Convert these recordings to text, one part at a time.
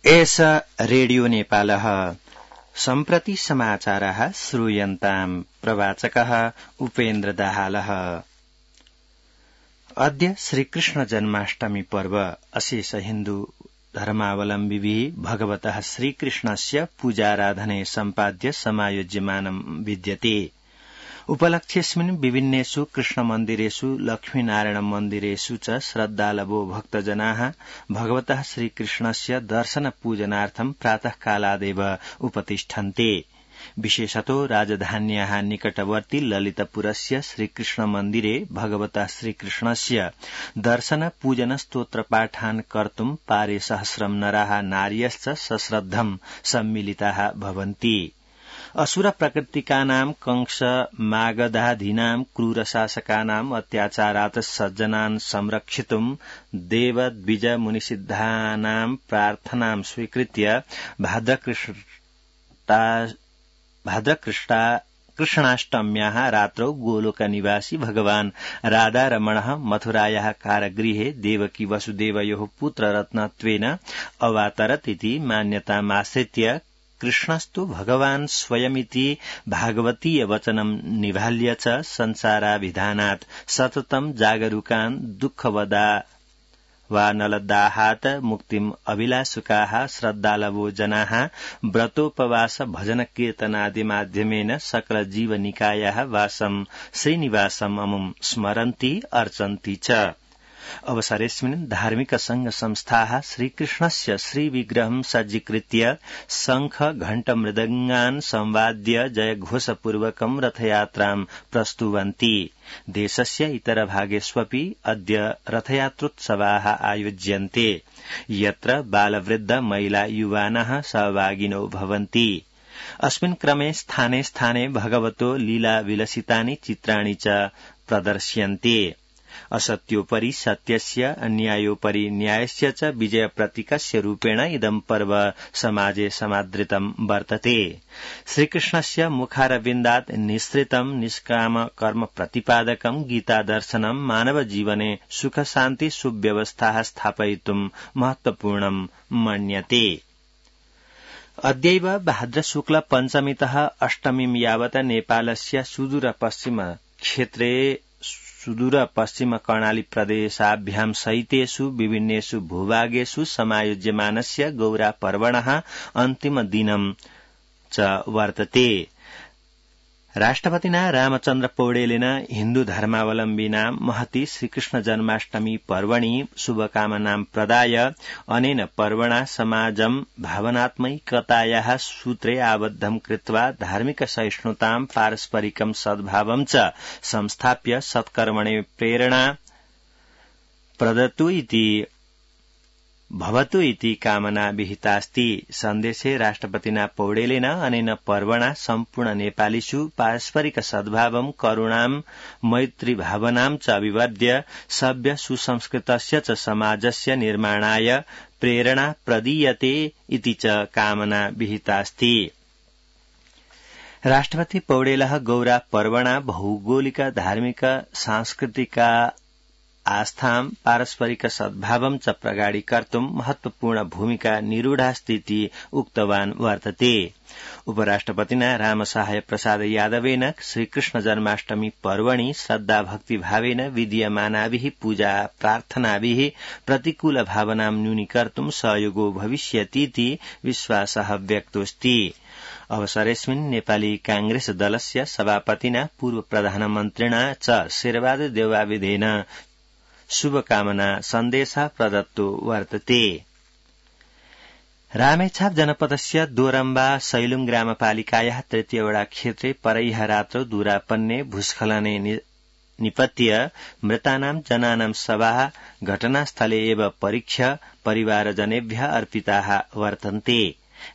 एष रेडियो नेपालः सम्प्रति समाचारः श्रूयन्ताम् प्रवाचकः उपेन्द्र दाहालः। अद्य श्रीकृष्ण जन्माष्टमी पर्व अशेष हिन्दू धर्मावलम्बिभिः भगवतः श्रीकृष्णस्य पूजाराधने सम्पाद्य समायोज्यमानं विद्यते। उपलक्ष्येऽस्मिन् विभिन्नेषु कृष्णमन्दिरेषु लक्ष्मीनारायण मन्दिरेषु च श्रद्धालवो भक्तजनाः भगवतः श्रीकृष्णस्य दर्शन पूजनार्थं प्रातःकालादेव उपतिष्ठन्ते। विशेषतो राजधान्याः निकटवर्ती ललितपुरस्य श्रीकृष्ण मन्दिरे भगवतः श्रीकृष्णस्य दर्शन पूजन स्तोत्रपाठान् कर्तुं पारे सहस्रं नराः नार्यश्च सश्रद्धं सम्मिलिताः भवन्ति। असुर प्रकृतिकानां कंस मागधाधीनां क्रूरशासकानां अत्याचारात् सज्जनान् संरक्षितुं देवद्विज मुनिसिद्धानां प्रार्थनां स्वीकृत्य कृष्णाष्टम्याः रात्रौ गोलोकनिवासी भगवान् राधारमणः मथुरायाः कारागृहे देवकी वसुदेवयोः पुत्ररत्नत्वेन अवातरत् इति मान्यतामाश्रित्य कृष्णस्तु भगवान् स्वयमिति भागवतीय वचनं निभाल्य च संसाराभिधानात् सततं जागरूकान् दुःखवदा वा नलदाहात् मुक्तिम् अभिलाषुकाः श्रद्धालवो जनाः व्रतोपवास भजन कीर्तनादि माध्यमेन सकल जीवनिकायाः वासं श्रीनिवासम् अमुम् स्मरन्ति अर्चन्ति च। अवसरेऽस्मिन् धार्मिक संघ संस्थाः श्रीकृष्णस्य श्रीविग्रहं सज्जीकृत्य शंख घण्ट मृदङ्गान् संवाद्य जयघोषपूर्वकं रथयात्रां प्रस्तुवन्ति। देशस्य इतरभागेष्वपि अद्य रथयात्रोत्सवाः आयोज्यन्ते, यत्र बालवृद्ध महिला युवानः सहभागिनो भवन्ति। अस्मिन् क्रमे स्थाने स्थाने भगवतो लीला विलसितानि चित्राणि च प्रदर्श्यन्ते। असत्योपरि सत्यस्य अन्यायोपरि न्यायस्य च विजयप्रतीकस्य रूपेण इदं पर्व समाजे समादृतं वर्तते। श्रीकृष्णस्य मुखारविन्दात् निःसृतं निष्काम कर्म प्रतिपादकं गीतादर्शनं मानवजीवने सुखशान्ति सुव्यवस्थाः स्थापयितुं महत्वपूर्णं मन्यते। अद्यैव भाद्रशुक्ल पञ्चमीतः अष्टमीं यावत् नेपालस्य सुदूर पश्चिम कर्णाली प्रदेशाभ्यां सहितेषु विभिन्नेषु भूभागेषु समायोज्यमानस्य गौरा पर्वणः अन्तिम दिनं च वर्तते। राष्ट्रपतिना रामचन्द्र पौडेलेन हिन्दू धर्मावलम्बिनां महति श्रीकृष्ण जन्माष्टमी पर्वणि शुभकामनां प्रदाय अनेन पर्वणा समाजं भावनात्मकतायाः सूत्रे आबद्धं कृत्वा धार्मिक सहिष्णुतां पारस्परिकं सद्भावं च संस्थाप्य सत्कर्मणे प्रेरणा प्रदतु इति भवतु इति कामना विहितास्ति। सन्देशे राष्ट्रपतिना पौडेलेन अनेन पर्वणा सम्पूर्ण नेपालीषु पारस्परिक सद्भावं करुणां मैत्रीभावनां च अभिवर्ध्य सभ्य सुसंस्कृतस्य च समाजस्य निर्माणाय प्रेरणा प्रदीयते इति च कामना विहितास्ति। राष्ट्रपति पौडेलः गौरा पर्वणा भौगोलिक धार्मिक सांस्कृतिक आस्थां पारस्परिक सद्भावं च प्रगाढीकर्तुं महत्वपूर्ण भूमिका निरूढास्तीति उक्तवान् वर्तते। उपराष्ट्रपतिना रामसहाय प्रसाद यादवेन श्रीकृष्ण जन्माष्टमी पर्वणि श्रद्धाभक्तिभावेन विधीयमानाभिः पूजा प्रार्थनाभिः प्रतिकूल भावनां न्यूनीकर्तुं सहयोगो भविष्यतीति विश्वासः व्यक्तोऽस्ति। अवसरेऽस्मिन् नेपाली कांग्रेस दलस्य सभापतिना पूर्व प्रधानमन्त्रिणा च शेरबहादुर देउवाविधेन शुभकामना सन्देशः प्रदत्तो वर्तते। रामेछाप जनपदस्य दोरम्बा सैलुङ ग्रामपालिकायाः तृतीय वडा क्षेत्रे परैः रात्रौ दूरापन्ने भूस्खलने निपत्य मृतानां जनानां शवाः घटनास्थले एव परीक्ष्य परिवारजनेभ्यः अर्पिताः वर्तन्ते।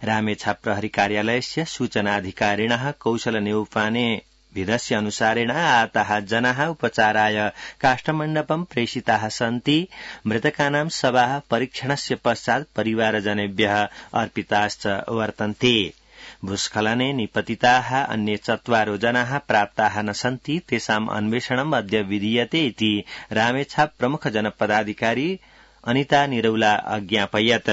रामेछाप प्रहरी कार्यालयस्य सूचनाधिकारिणः कौशल नेउपाने विधस्य अनुसारेण आताः जनाः उपचाराय काष्ठमण्डपं प्रेषिताः सन्ति। मृतकानां शवाः परीक्षणस्य पश्चात् परिवारजनेभ्यः अर्पिताश्च वर्तन्ते। भूस्खलने निपतिताः अन्ये 4 जनाः प्राप्ताः न सन्ति। तेषाम् अन्वेषणम् अद्य विधीयते इति रामेछाप प्रमुख जनपदाधिकारी अनिता निरौला अज्ञापयत्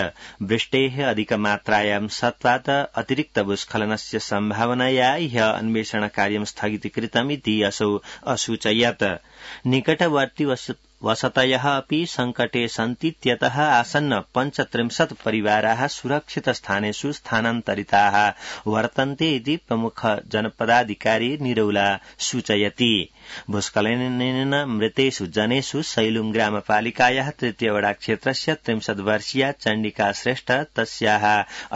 वृष्टेः अधिकमात्रायां सत्त्वात् अतिरिक्तभूस्खलनस्य सम्भावनया ह्य अन्वेषणकार्यं स्थगितीकृतमिति असौ असूचयत् निकटवर्ती वसतयः अपि संकटे सन्तीत्यतः आसन्न 35 परिवाराः सुरक्षितस्थानेषु स्थानान्तरिताः वर्तन्ते इति प्रमुख जनपदाधिकारी निरौला सूचयति भूस्खलनेन मृतेषु जनेषु सैलुङ ग्रामपालिकायाः तृतीयवडा क्षेत्रस्य 30 वर्षीया चण्डिका श्रेष्ठ तस्याः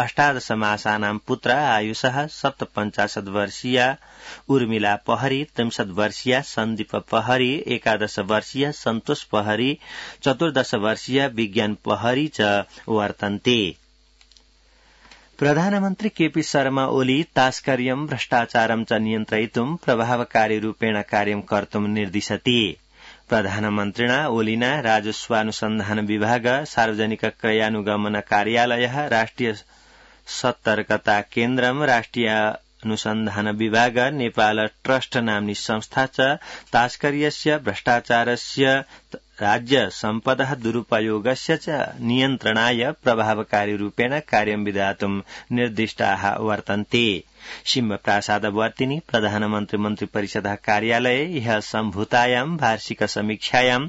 18 मासानां पुत्र आयुषः 57 वर्षीया उर्मिला पहरी 63 वर्षीया सन्दीप पहरी 11 वर्षीय सन्तोष पहरी 14 वर्षीय विज्ञान पहरी च वर्तन्ते प्रधानमन्त्री केपी शर्मा ओली तास्कर्यं भ्रष्टाचारं च नियन्त्रयितुं प्रभावकारीरूपेण कार्यं कर्तुं निर्दिशति प्रधानमन्त्रिणा ओलिना राजस्वानुसन्धान विभाग सार्वजनिक क्रयानुगमन कार्यालयः राष्ट्रिय सतर्कता केन्द्रं राष्ट्रिय अनुसन्धान विभाग नेपाल ट्रस्ट नाम्नी संस्था च तास्कर्यस्य भ्रष्टाचारस्य राज्य सम्पदः दुरुपयोगस्य च नियन्त्रणाय प्रभावकारीरूपेण कार्यं विधातुं निर्दिष्टाः वर्तन्ते सिंहप्रासादवर्तिनि प्रधानमन्त्री मन्त्रिपरिषदः कार्यालये ह्यः सम्भूतायां वार्षिक समीक्षायां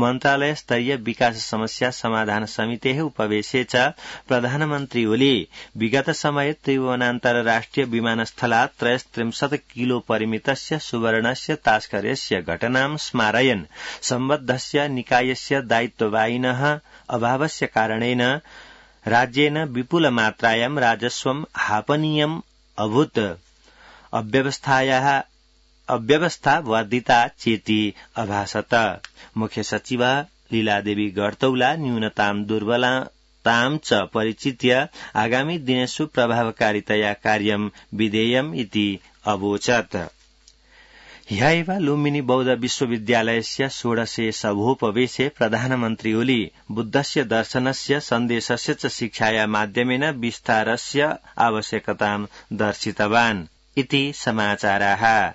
मन्त्रालयस्तरीय विकास समस्या समाधान समितेः उपवेशे च प्रधानमन्त्री ओली विगत समये त्रिभुवनान्तर राष्ट्रिय विमानस्थलात् 33 किलो परिमितस्य सुवर्णस्य तास्कर्यस्य घटनां स्मारयन् सम्बद्धस्य निकायस्य दायित्ववाहिनः अभावस्य कारणेन राज्येन विपुलमात्रायां राजस्वं हापनीयम् अभूत् अव्यवस्था वर्धिता चेति अभासत मुख्य सचिवा लीलादेवी गर्तौला न्यूनतां दुर्बलतां च परिचित्य आगामी दिनेषु प्रभावकारितया कार्यं विधेयम् इति अवोचत् ह्यैव लुम्बिनी बौद्ध विश्वविद्यालयस्य 16 सभोपवेशे प्रधानमन्त्री ओली बुद्धस्य दर्शनस्य सन्देशस्य च शिक्षाया माध्यमेन विस्तारस्य आवश्यकतां दर्शितवान् इति समाचाराः।